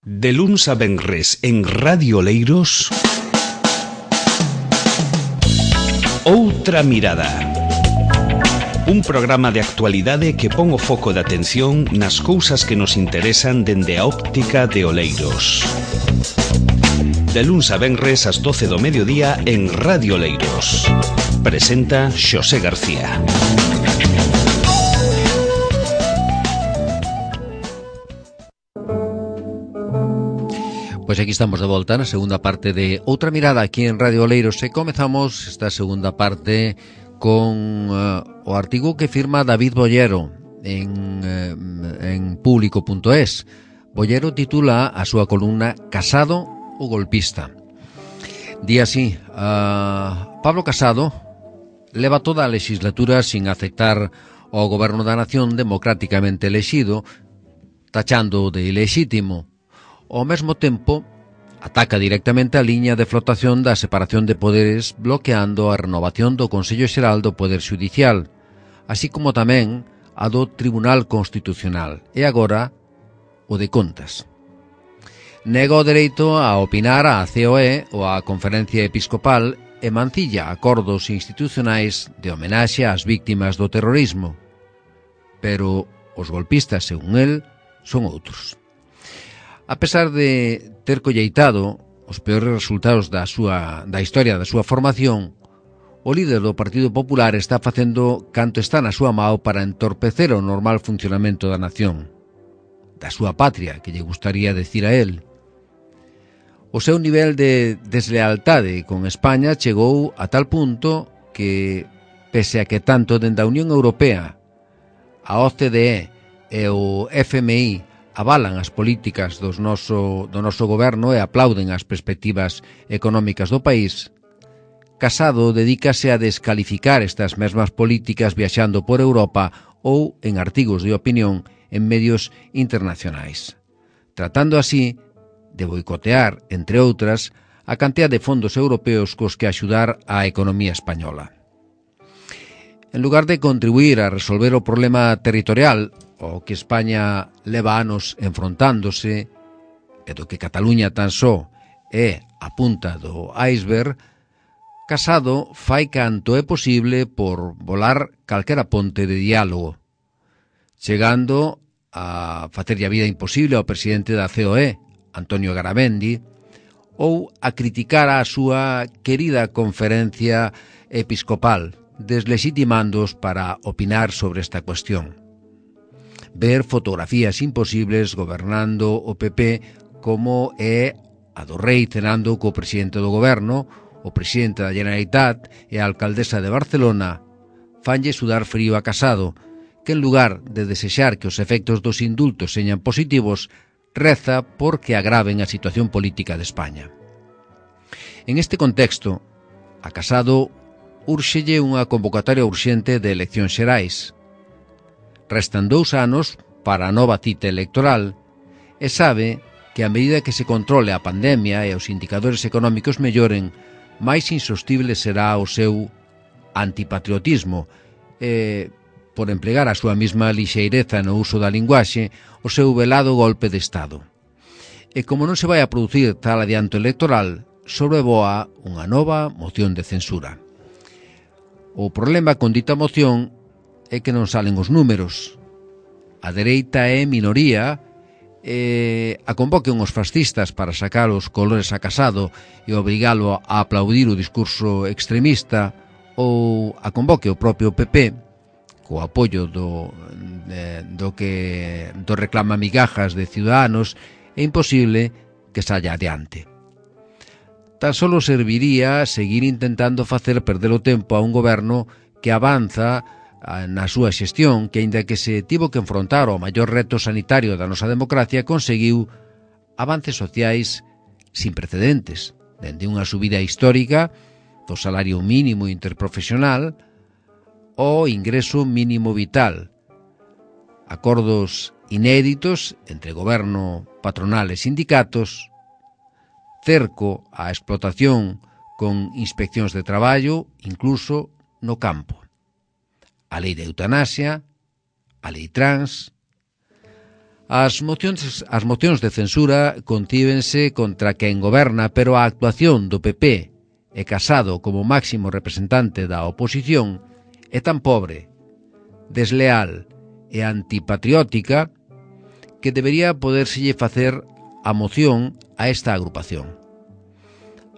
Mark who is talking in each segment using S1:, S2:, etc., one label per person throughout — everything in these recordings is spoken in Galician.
S1: De luns a venres en Radio Oleiros, Outra Mirada. Un programa de actualidade que pon o foco de atención nas cousas que nos interesan dende a óptica de Oleiros. De luns a venres ás 12 do mediodía en Radio Oleiros. Presenta Xosé García.
S2: Pois aquí estamos de volta na segunda parte de Outra Mirada aquí en Radio Oleiros e comezamos esta segunda parte con o artigo que firma David Bollero en público.es. Bollero titula a súa columna Casado o golpista. Di así: Pablo Casado leva toda a legislatura sin aceptar o goberno da nación democráticamente elexido, tachando de ilexítimo. Ao mesmo tempo, ataca directamente a liña de flotación da separación de poderes, bloqueando a renovación do Consello Xeral do Poder Xudicial, así como tamén a do Tribunal Constitucional e agora o de Contas. Nega o dereito a opinar á COE ou á Conferencia Episcopal e mancilla acordos institucionais de homenaxe ás víctimas do terrorismo. Pero os golpistas, según el, son outros. A pesar de ter colleitado os peores resultados da historia da súa formación, o líder do Partido Popular está facendo canto está na súa mao para entorpecer o normal funcionamento da nación, da súa patria, que lle gustaría decir a él. O seu nivel de deslealtade con España chegou a tal punto que, pese a que tanto dende a Unión Europea, a OCDE e o FMI avalan as políticas do noso goberno e aplauden as perspectivas económicas do país, Casado dedícase a descalificar estas mesmas políticas viaxando por Europa ou en artigos de opinión en medios internacionais, tratando así de boicotear, entre outras, a cantidad de fondos europeos cos que axudar á economía española. En lugar de contribuir a resolver o problema territorial o que España leva anos enfrontándose e do que Cataluña tan só é a punta do iceberg, Casado fai canto é posible por volar calquera ponte de diálogo, chegando a facerlle a vida imposible ao presidente da COE, Antonio Garamendi, ou a criticar a súa querida Conferencia Episcopal, deslegitimándoos para opinar sobre esta cuestión. Ver fotografías imposibles gobernando o PP como é a do rei cenando co presidente do goberno, o presidente da Generalitat e a alcaldesa de Barcelona, fanlle sudar frío a Casado, que en lugar de desexar que os efectos dos indultos señan positivos, reza porque agraven a situación política de España. En este contexto, a Casado úrxelle unha convocatoria urxente de eleccións xerais. Restan 2 anos para a nova cita electoral e sabe que a medida que se controle a pandemia e os indicadores económicos melloren, máis insostible será o seu antipatriotismo e, por emplegar a súa mesma lixeireza no uso da linguaxe, o seu velado golpe de Estado. E como non se vai a producir tal adianto electoral, sobrevoa unha nova moción de censura. O problema con dita moción é que non salen os números. A dereita é minoría e a convoquen os fascistas para sacar os colores a Casado e obrigalo a aplaudir o discurso extremista, ou a convoque o propio PP co apoio do reclama migajas de Ciudadanos, é imposible que saia adiante. Tan solo serviría seguir intentando facer perder o tempo a un goberno que avanza na súa xestión, que aínda que se tivo que enfrontar ao maior reto sanitario da nosa democracia, conseguiu avances sociais sin precedentes, dende unha subida histórica do salario mínimo interprofesional ao ingreso mínimo vital, acordos inéditos entre goberno, patronal e sindicatos, cerco á explotación con inspeccións de traballo, incluso no campo, a lei de eutanasia, a lei trans, As mocións de censura contívense contra quen goberna, pero a actuación do PP e Casado como máximo representante da oposición é tan pobre, desleal e antipatriótica que debería podérselle facer a moción a esta agrupación.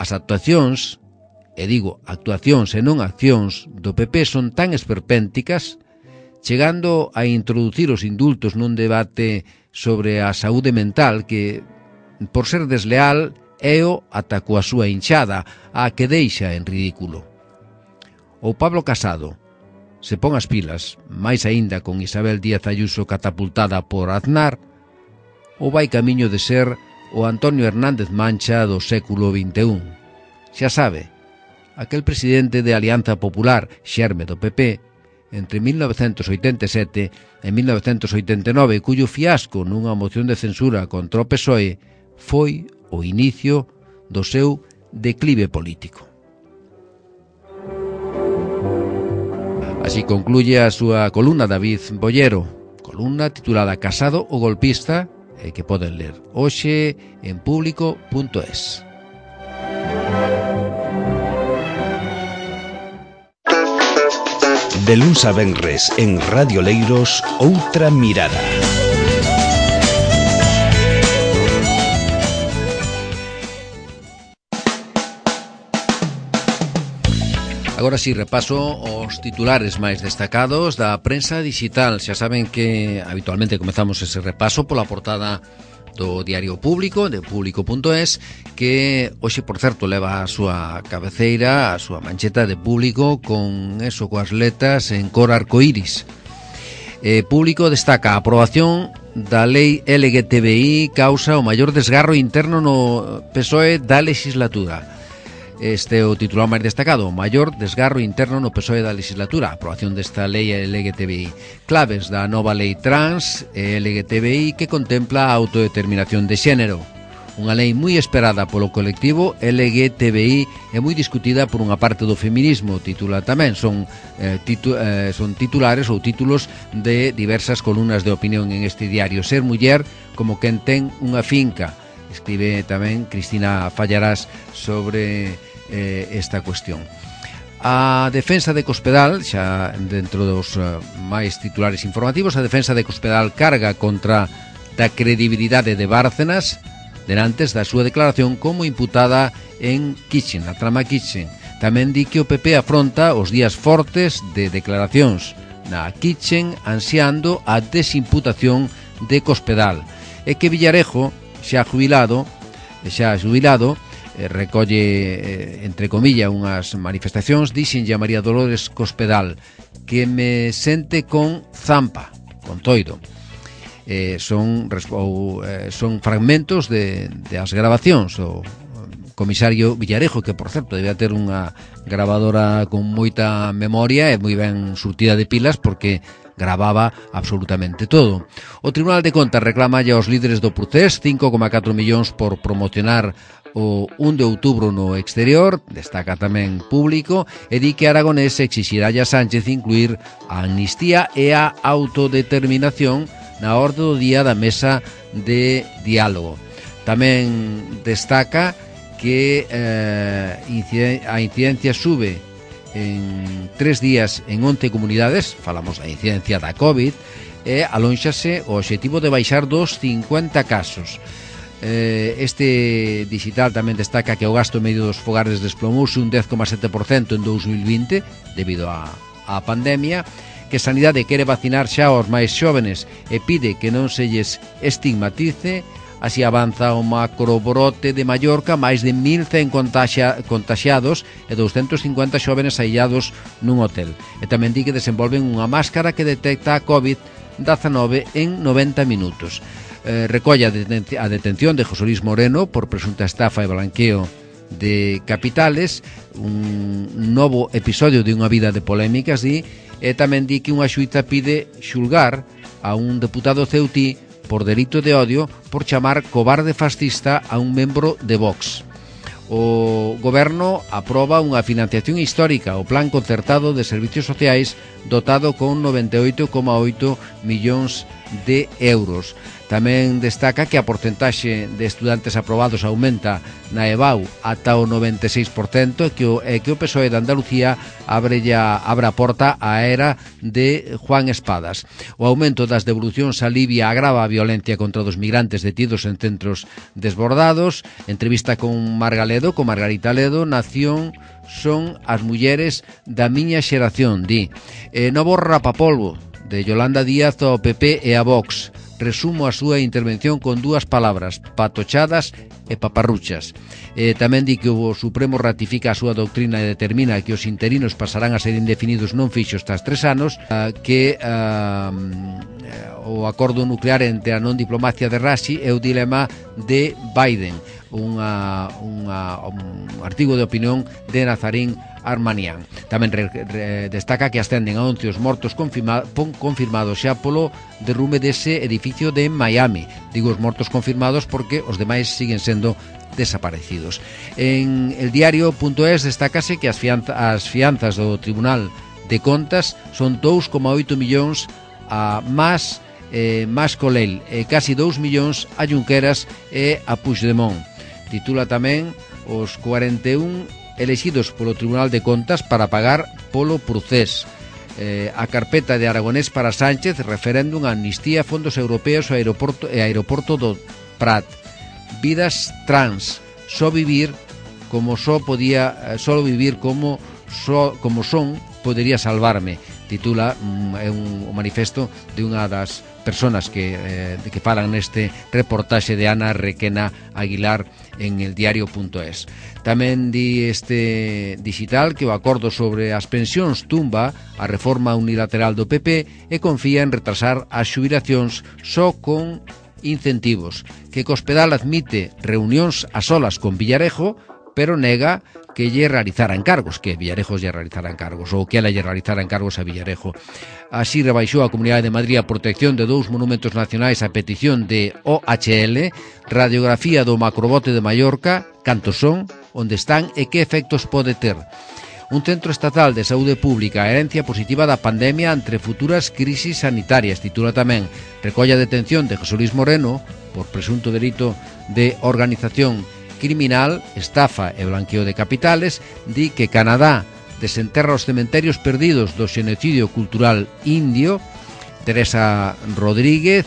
S2: As actuacións, e digo actuacións e non accións, do PP son tan esperpénticas, chegando a introducir os indultos nun debate sobre a saúde mental que, por ser desleal, éo ata coa súa hinchada, a que deixa en ridículo. Ou Pablo Casado se pon as pilas, máis aínda con Isabel Díaz Ayuso catapultada por Aznar, ou vai camiño de ser o Antonio Hernández Mancha do século XXI. Xa sabe, aquel presidente de Alianza Popular, xerme do PP, entre 1987 e 1989, cuyo fiasco nunha moción de censura contra o PSOE foi o inicio do seu declive político. Así concluye a súa columna David Bollero, columna titulada Casado o golpista, que poden ler hoxe en público.es.
S1: De luns a venres en Radio Leiros, Outra Mirada.
S2: Agora si repaso os titulares máis destacados da prensa digital. Xa saben que habitualmente comezamos ese repaso pola portada do Diario Público, de público.es, que hoxe, por certo, leva a súa cabeceira, a súa mancheta de Público con eso, coas letras en cor arcoíris. Público destaca a aprobación da lei LGTBI causa o maior desgarro interno no PSOE da legislatura. Este é o titular máis destacado, o maior desgarro interno no PSOE da legislatura, a aprobación desta lei LGTBI. Claves da nova lei trans e LGTBI que contempla a autodeterminación de xénero. Unha lei moi esperada polo colectivo LGTBI e moi discutida por unha parte do feminismo, titula tamén. Son titulares ou títulos de diversas columnas de opinión en este diario. Ser muller como quen ten unha finca. Escribe tamén Cristina Fallarás sobre esta cuestión. A defensa de Cospedal, xa dentro dos máis titulares informativos, a defensa de Cospedal carga contra da credibilidade de Bárcenas denantes da súa declaración como imputada en Kitchen, a trama Kitchen. Tamén di que o PP afronta os días fortes de declaracións na Kitchen ansiando a desimputación de Cospedal e que Villarejo, xa xubilado, recolle, entre comillas, unhas manifestacións, dixenlle a María Dolores Cospedal que me sente con zampa, con toido. Son fragmentos de as grabacións. O comisario Villarejo, que por certo debía ter unha grabadora con moita memoria e moi ben surtida de pilas, porque grababa absolutamente todo. O Tribunal de Contas reclama aos líderes do Procés 5,4 millóns por promocionar o 1 de outubro no exterior, destaca tamén Público, e di que Aragonés exixirá a Sánchez incluir a amnistía e a autodeterminación na orde do día da mesa de diálogo. Tamén destaca que a incidencia sube en 3 días en 11 comunidades, falamos da incidencia da COVID, e alónxase o obxectivo de baixar dos 50 casos. Este digital tamén destaca que o gasto medio dos fogares desplomouse un 10,7% en 2020 debido á pandemia, que Sanidade quere vacinar xa aos máis xóvenes e pide que non se lles estigmatice. Así avanza o macrobrote de Mallorca, máis de 1.100 contaxiados e 250 xóvenes aillados nun hotel. E tamén di que desenvolven unha máscara que detecta a COVID-19 en 90 minutos. Recolle a detención de José Luis Moreno por presunta estafa e blanqueo de capitales, un novo episodio de unha vida de polémicas, e tamén di que unha xuíza pide xulgar a un deputado ceutí por delito de odio por chamar cobarde fascista a un membro de Vox. O Goberno aproba unha financiación histórica, o Plan Concertado de Servicios Sociais, dotado con 98,8 millóns de euros. Tamén destaca que a porcentaxe de estudantes aprobados aumenta na EBAU ata o 96% e que o PSOE de Andalucía abre a porta á era de Juan Espadas. O aumento das devolucións alivia a agrava a violencia contra os migrantes detidos en centros desbordados. Entrevista con Margarita Ledo, Nación son as mulleres da miña xeración, di. Novo rapapolvo de Yolanda Díaz ao PP e a Vox. Resumo a súa intervención con dúas palabras: patochadas e paparruchas. Tamén di que o Supremo ratifica a súa doutrina e determina que os interinos pasarán a ser indefinidos non fixos tras 3 anos, que o acordo nuclear entre a non diplomacia de Rashi é o dilema de Biden, un artigo de opinión de Nazarín Armanian. Tamén destaca que ascenden a 11 os mortos confirmados xa polo derrume dese edificio de Miami. Digo os mortos confirmados porque os demais siguen sendo desaparecidos. En el diario.es destacase que as fianzas do Tribunal de Contas son 2,8 millóns a Mas Colell e casi 2 millóns a Junqueras e a Puigdemont. Titula tamén os 41 elexidos polo Tribunal de Contas para pagar polo procés. A carpeta de Aragonés para Sánchez, referéndum, amnistía, fondos europeos e aeroporto do Prat. Vidas trans, só vivir como son podería salvarme. Titula un manifesto de unha das personas que falan neste reportaxe de Ana Requena Aguilar en el diario.es. Tamén di este digital que o acordo sobre as pensións tumba a reforma unilateral do PP e confía en retrasar as xubilacións só con incentivos, que Cospedal admite reunións a solas con Villarejo, pero nega que lle realizara encargos, que Villarejo lle realizara encargos, ou que ela lle realizara encargos a Villarejo. Así rebaixou a Comunidade de Madrid a protección de 2 monumentos nacionais a petición de OHL, radiografía do macrobote de Mallorca, cantos son, onde están e que efectos pode ter. Un centro estatal de saúde pública, herencia positiva da pandemia entre futuras crisis sanitarias, titula tamén. Recolla a detención de José Luis Moreno por presunto delito de organización criminal, estafa e blanqueo de capitales. Di que Canadá desenterra os cementerios perdidos do xenocidio cultural indio. Teresa Rodríguez,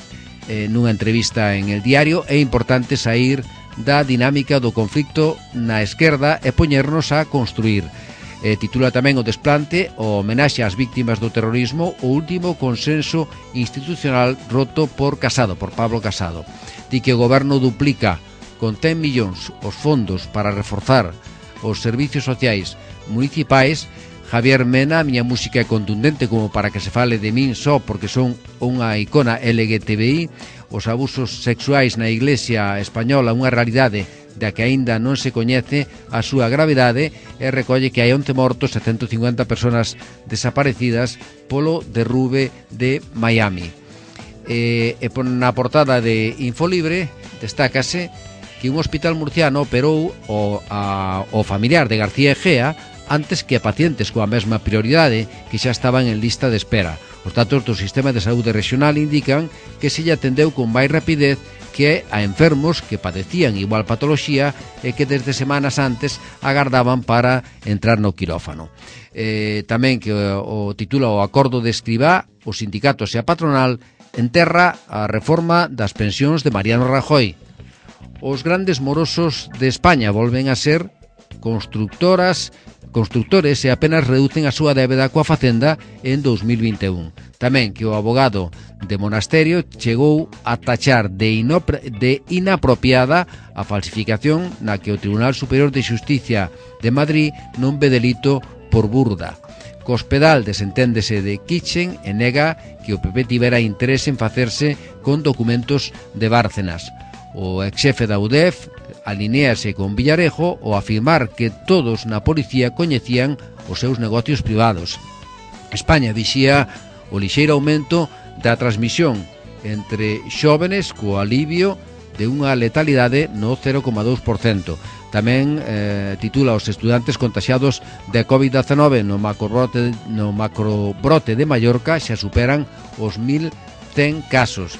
S2: nunha entrevista en El Diario: é importante sair da dinámica do conflicto na esquerda e poñernos a construir. Titula tamén o desplante, o homenaxe ás víctimas do terrorismo, o último consenso institucional roto por Pablo Casado. Di que o goberno duplica con 100 millóns os fondos para reforzar os servicios sociais municipais. Javier Mena: a miña música é contundente como para que se fale de min só porque son unha icona LGTBI. Os abusos sexuais na Iglesia española, unha realidade da que aínda non se coñece a súa gravidade, e recolle que hai 11 mortos e 150 personas desaparecidas polo derrube de Miami. E na portada de Infolibre destácase que un hospital murciano operou o familiar de García Egea antes que a pacientes coa mesma prioridade que xa estaban en lista de espera. Os datos do Sistema de Saúde Regional indican que se lle atendeu con máis rapidez que a enfermos que padecían igual patoloxía e que desde semanas antes agardaban para entrar no quirófano. Tamén que o titula o acordo de Escribá, os sindicatos e a patronal enterra a reforma das pensións de Mariano Rajoy. Os grandes morosos de España volven a ser constructores e apenas reducen a súa débeda coa Facenda en 2021. Tamén que o abogado de Monasterio chegou a tachar de inapropiada a falsificación na que o Tribunal Superior de Xusticia de Madrid non ve delito por burda. Cospedal desenténdese de Kitchen e nega que o PP tivera interés en facerse con documentos de Bárcenas. O exxefe da UDEF alinéase con Villarejo ao afirmar que todos na policía coñecían os seus negocios privados. España vixía o lixeiro aumento da transmisión entre xóvenes co alivio de unha letalidade no 0,2%. Tamén titula os estudantes contaxiados de COVID-19 no macrobrote de Mallorca xa superan os 1.100 casos.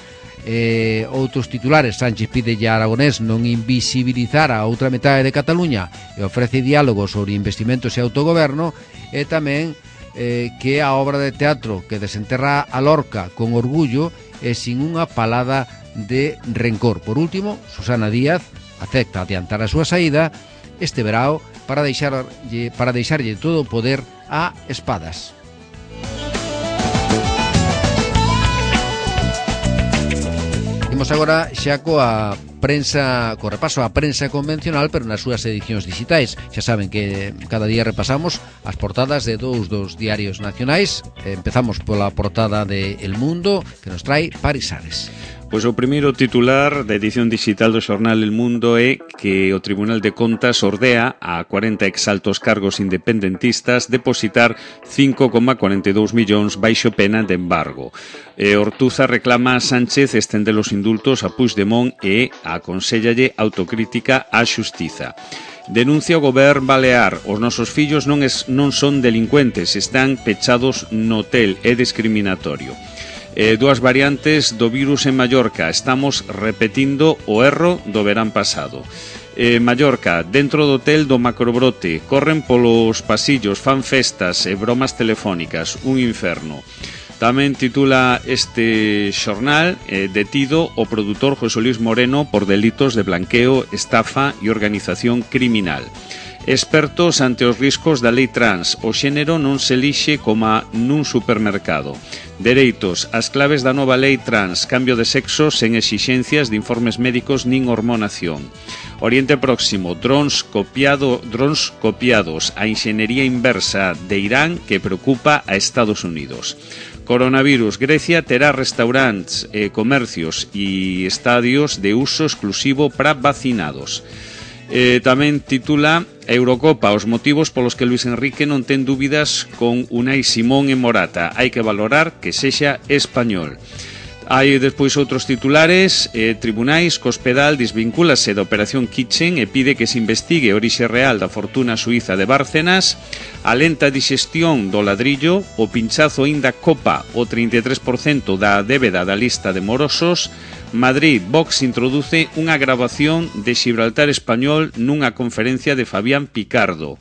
S2: Outros titulares: Sánchez pide a Aragonés non invisibilizar a outra metade de Cataluña e ofrece diálogo sobre investimentos e autogoberno. E tamén que a obra de teatro que desenterra a Lorca con orgullo e sin unha palada de rencor. Por último, Susana Díaz acepta adiantar a súa saída este verao para deixarlle todo o poder a Espadas. Imos agora xa coa prensa, co repaso á prensa convencional, pero nas súas edicións digitais. Xa saben que cada día repasamos as portadas de dous dos diarios nacionais. Empezamos pola portada de El Mundo, que nos trae Paris Ares.
S1: Pois o primeiro titular da edición digital do xornal El Mundo é que o Tribunal de Contas ordea a 40 exaltos cargos independentistas depositar 5,42 millóns baixo pena de embargo. Ortuza reclama a Sánchez estender os indultos a Puigdemont e aconséllalle autocrítica á xustiza. Denuncia o goberno balear: os nosos fillos non son delincuentes, están pechados no hotel, é discriminatorio. Dúas variantes do virus en Mallorca: estamos repetindo o erro do verán pasado. Mallorca: dentro do hotel do macrobrote, corren polos pasillos, fan festas e bromas telefónicas, un inferno. Tamén titula este xornal: detido o produtor José Luis Moreno por delitos de blanqueo, estafa e organización criminal. Expertos ante os riscos da lei trans: o xénero non se elixe coma nun supermercado. Dereitos: as claves da nova lei trans: cambio de sexo sen exixencias de informes médicos nin hormonación. Oriente Próximo: drons copiados, a inxenería inversa de Irán que preocupa a Estados Unidos. Coronavirus: Grecia terá restaurantes, comercios e estadios de uso exclusivo para vacinados. Tamén titula Eurocopa: os motivos polos que Luis Enrique non ten dúbidas con Unai Simón e Morata, hai que valorar que sexa español. Hai despois outros titulares: tribunais, Cospedal desvincúlase da operación Kitchen e pide que se investigue a orixe real da fortuna suiza de Bárcenas. A lenta dixestión do ladrillo: o pinchazo aínda copa o 33% da débeda da lista de morosos. Madrid: Vox introduce unha gravación de Xibraltar español nunha conferencia de Fabián Picardo.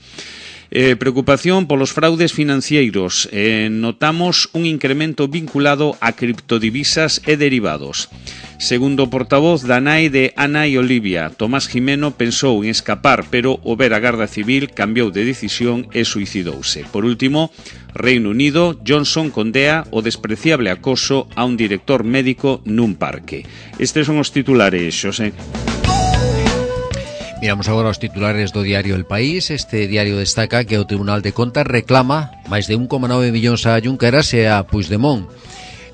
S1: Preocupación polos fraudes financeiros. Notamos un incremento vinculado a criptodivisas e derivados. Segundo portavoz da nai de Ana e Olivia, Tomás Jimeno pensou en escapar, pero o ver a Garda Civil cambiou de decisión e suicidouse. Por último, Reino Unido: Johnson condea o despreciable acoso a un director médico nun parque. Estes son os titulares, Xosé.
S2: Miramos agora os titulares do diario El País. Este diario destaca que o Tribunal de Contas reclama máis de 1,9 millóns a Junqueras e a Puigdemont.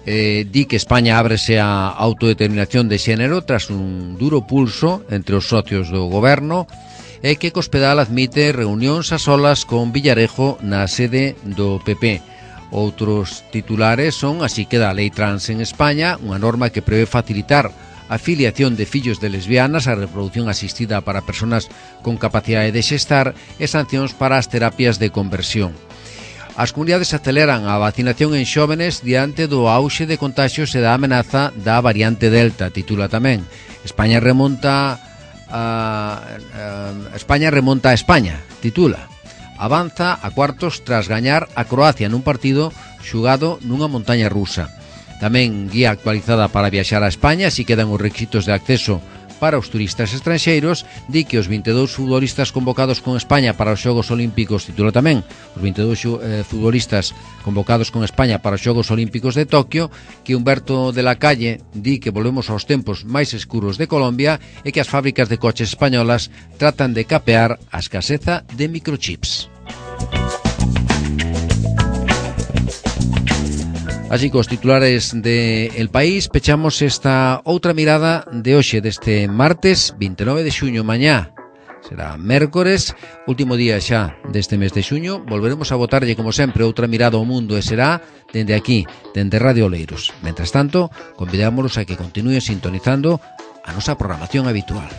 S2: Di que España ábrese a autodeterminación de xénero tras un duro pulso entre os socios do goberno, e que Cospedal admite reunións a solas con Villarejo na sede do PP. Outros titulares son: así queda a lei trans en España, unha norma que prevé facilitar a filiación de fillos de lesbianas, a reproducción asistida para persoas con capacidade de xestar e sancións para as terapias de conversión. As comunidades aceleran a vacinación en xóvenes diante do auxe de contaxios e da amenaza da variante Delta, titula tamén. España remonta a España, titula. Avanza a cuartos tras gañar a Croacia nun partido xugado nunha montaña rusa. Tamén guía actualizada para viaxar a España, si quedan os requisitos de acceso para os turistas estranxeiros. Di que os 22 futbolistas convocados con España para os Xogos Olímpicos, titula tamén, os 22 futbolistas convocados con España para os Xogos Olímpicos de Tokio, que Humberto de la Calle di que volvemos aos tempos máis escuros de Colombia e que as fábricas de coches españolas tratan de capear a escaseza de microchips. Así, cos titulares de El País, pechamos esta outra mirada de hoxe, deste martes 29 de xuño. Mañá será mércores, último día xa deste mes de xuño. Volveremos a botarlle, como sempre, outra mirada ao mundo, e será dende aquí, dende Radio Oleiros. Mentres tanto, convidámonos a que continúen sintonizando a nosa programación habitual.